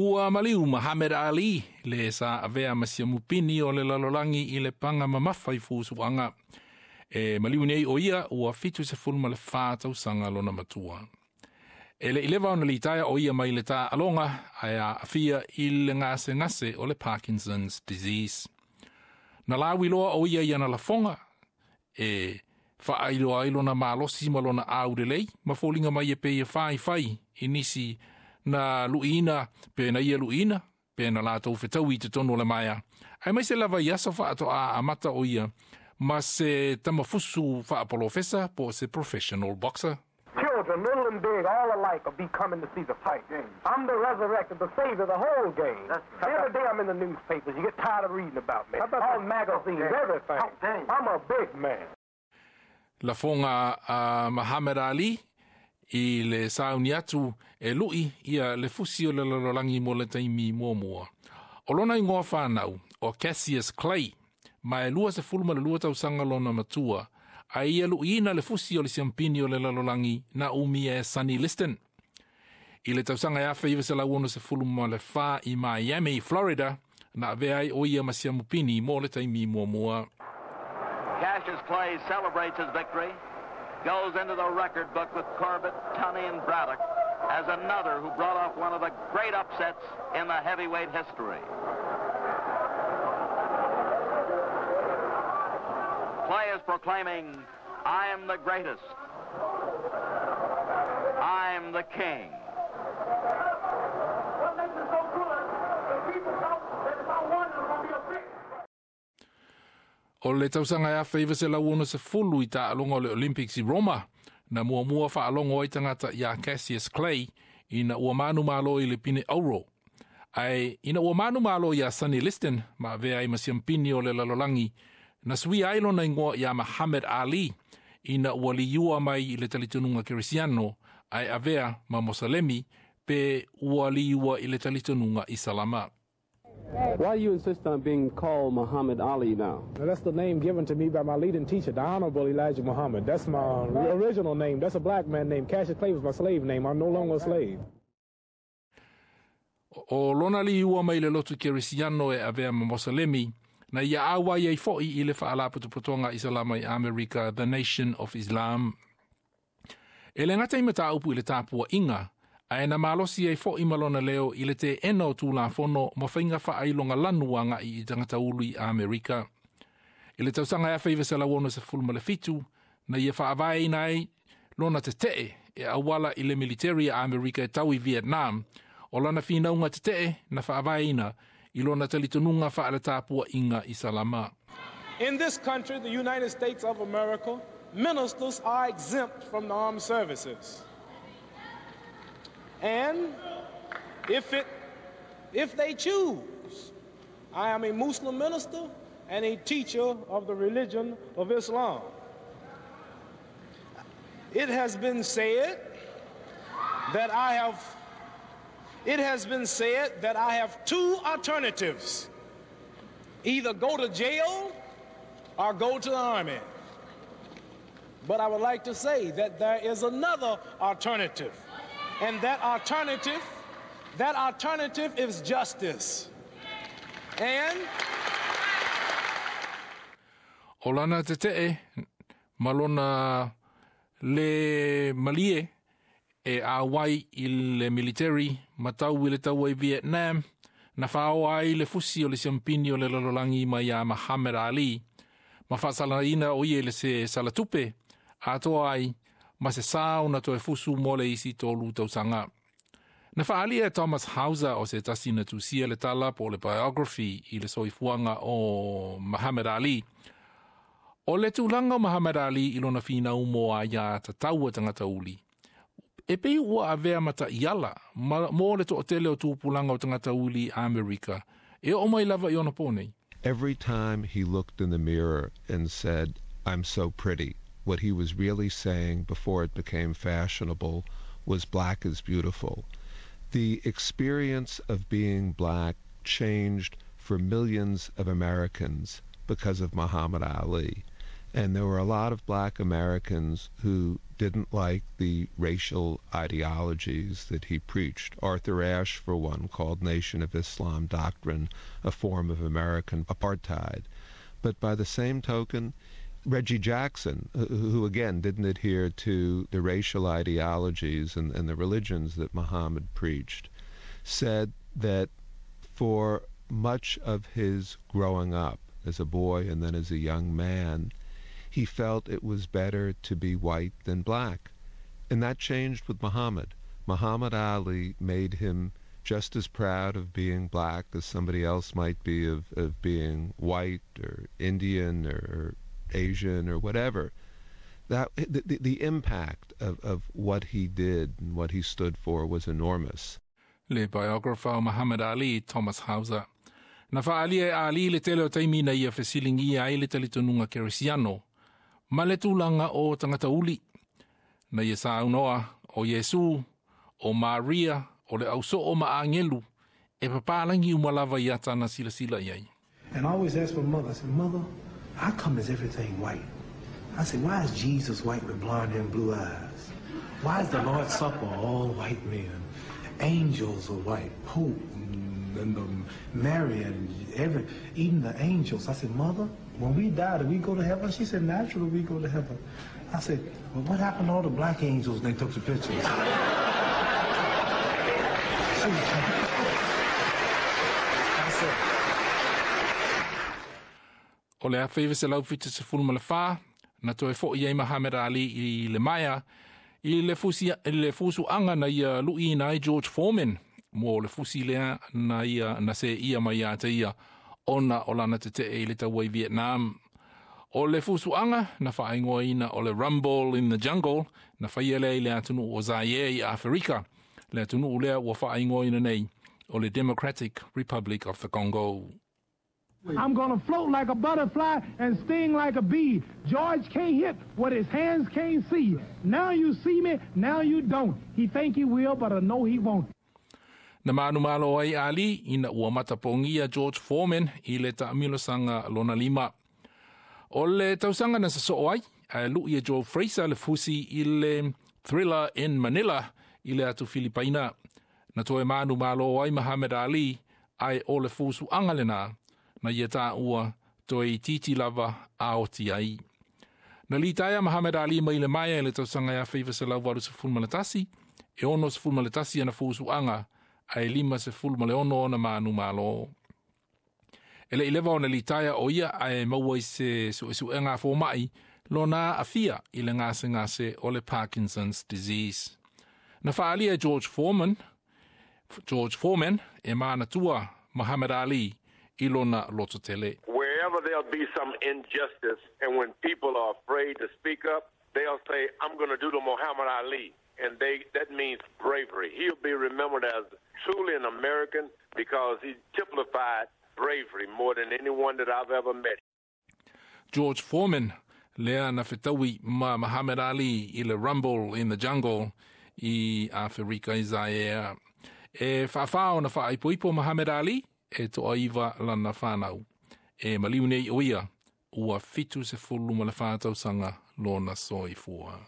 Ua maliu Muhammad Ali le sa avea ma siamupini o le lalolagi i le paga mamafa i fusuaga. E maliu nei o ia ua 74 tausaga lona matua. E le i leva ona litaea o ia mai le taaloga ae aafia i le gasegase o le Parkinson's disease. Na lauiloa o ia i ana lafoga e faailoa ai lona malosi ma lona aulelei ma foliga mai e pei e faifai i nisi na luiina pe na ia luiina pe na latou fetaui i totonu o le maea. Aemaise lava i aso faatoa amata o ia ma se tamafusu faapolofesa po o se professional boxer. Children, little and big, all alike will be coming to see the fight. I'm the resurrected, the savior, the whole game. Every day I'm in the newspapers. You get tired of reading about me. All magazines, everything. I'm a big man. Lafoga a Muhammad Ali i le sauni atu e lu'i ia le fusi o le lalolagi mo le taimi muamua. O lona igoa fanau o Cassius Clay, ma e 22 tausaga lona matua, a ia lu'iina le fusi o le siampini o le lalolagi na umia e Sonny Liston. I le tausaga e 1964 i Miami, Florida, na avea ai o ia ma siamupini mo le taimi muamua. Cassius Clay celebrates his victory, goes into the record book with Corbett, Tunney, and Braddock as another who brought off one of the great upsets in the heavyweight history. Clay is proclaiming, I am the greatest. I'm the king. What makes it so good? The people thought that if I won, it was going to be a big. O le tausaga e 1960 i taaloga o le Olympics i Roma, na muamua faalogo ai tagata iā Cassius Clay ina ua manumalo i le pine auro. Ae ina ua manumalo iā Sonny Liston ma avea ai ma siampini o le lalolagi, na suia ai lona igoa iā Muhammad Ali ina ua liua mai i le talitonuga kerisiano ae avea ma Mosalemi pe ua liua i le talitonuga Isalama. Why do you insist on being called Muhammad Ali now? Now, that's the name given to me by my leading teacher, the Honorable Elijah Muhammad. That's my original name. That's a black man name. Cassius Clay was my slave name. I'm no longer a slave. O lona liua mai le lotu kerisiano e avea ma Mosalemi, na ia auai ai fo'i i le faalapotopotoga Isalama i Amerika, The Nation of Islam. E le gata i mataupu i le tapua'iga, ae na malosi ai fo'i ma lona leo i le teena o tulafono ma faiga faailoga lanu aga'i i tagata ulu i Amerika. I le tausaga e 1967, na ia faavaeina ai lona tete'e e auala i le militeri a Amerika e tau i Vietnam, o lana finauga tete'e na faavaeina i lona talitonuga faaletapua'iga Isalama. In this country, the United States of America, ministers are exempt from the armed services. And if they choose, I am a Muslim minister and a teacher of the religion of Islam. It has been said that I have it has been said that I have two alternatives. Either go to jail or go to the army. But I would like to say that there is another alternative. And that alternative is justice. And O lana tete'e ma lona le malie e auai i le militeri ma tau i le taua i Vietnam, na faaoa ai le fusi o le siampini o le lalolagi mai iā Muhammad Ali, ma faasalaina o ia i le se salatupe, atoa ai ma se sa ona toe fusu mo le isi 3 tausaga. Na faaalia e Thomas Hauser o se tasi na tusia le tala po o le biography i le soifuaga o Muhammad Ali. O le tulaga o Muhammad Ali i lona finau mo aiā tatau a tagata uli. E pei ua avea ma ta'iala mo le to'atele o tupulaga o tagata uli i Amerika e oo mai lava i ona pō nei. Every time he looked in the mirror and said, I'm so pretty, what he was really saying before it became fashionable was black is beautiful. The experience of being black changed for millions of Americans because of Muhammad Ali. And there were a lot of black Americans who didn't like the racial ideologies that he preached. Arthur Ashe, for one, called Nation of Islam doctrine a form of American apartheid. But by the same token, Reggie Jackson, who again didn't adhere to the racial ideologies and the religions that Muhammad preached, said that for much of his growing up as a boy and then as a young man, he felt it was better to be white than black. And that changed with Muhammad. Muhammad Ali made him just as proud of being black as somebody else might be of being white or Indian or Asian or whatever. That the impact of what he did and what he stood for was enormous. Le biographer Muhammad Ali, Thomas Hauser. Na whaalia e Ali le tele o taimi na ia fesilingia ai le talitonuga kerisiano, ma le tulaga o tagata uli. Na ia saunoa o Iesu, o Maria, o le ausoo ma agelu, e papalangi uma lava i ata na silasila i ai. And I always ask my mother, I said, "Mother, how come is everything white?" I said, "Why is Jesus white with blonde hair and blue eyes? Why is the Lord's Supper all white men? Angels are white, Pope and the Mary and even the angels." I said, "Mother, when we die, do we go to heaven?" She said, "Naturally, we go to heaven." I said, "Well, what happened to all the black angels when they took the pictures?" I said, O le 1974, na toe fo'i ai Muhammad Ali i le maea, i le, fusi, i le fusuaga na ia lu'iina ai George Foreman, mo le fusi lea na ia na se ia mai ia te ia, ona o lana tete'e i le taua i Vietnam. O le fusuaga na faaigoaina o le Rumble in the Jungle, na faia lea i le atunuu o Zaire i Aferika. Le atunuu lea ua faaigoaina nei o le Democratic Republic of the Congo. I'm gonna float like a butterfly and sting like a bee. George can't hit what his hands can't see. Now you see me, now you don't. He think he will, but I know he won't. Na manumalo ai Ali ina ua matapogia George Foreman i le taamilosaga lona lima. O le tausaga na sasoo ai, ae lu'i e Joe Fraser le fusi i le Thrilla in Manila i le atu Filipaina. Na toe manumalo ai Muhammad Ali ae o le fusuaga lenā na ia taua toe titi lava aoti ai. Na litaea Muhammad Ali mai le maea i le tausaga e 1981, e 61 ana fusuaga, ae 56 ona manumalo. E le i leva ona litaea o ia ae maua i se suesuega a foma'i lona aafia i le gasegase o le Parkinson's disease. Na faaalia e George Foreman e manatua Muhammad Ali i lona lototele. Wherever there'll be some injustice and when people are afraid to speak up, they'll say, "I'm going to do the Muhammad Ali." And that means bravery. He'll be remembered as truly an American because he typified bravery more than anyone that I've ever met. George Foreman, lea na fetaui ma Muhammad Ali i le Rumble in the Jungle i Aferika i Zaire. E whaawhao na whaaipoipo Muhammad Ali e toaiva lana whanau. E maliu nei o ia, ua 74 tausaga lona soifua.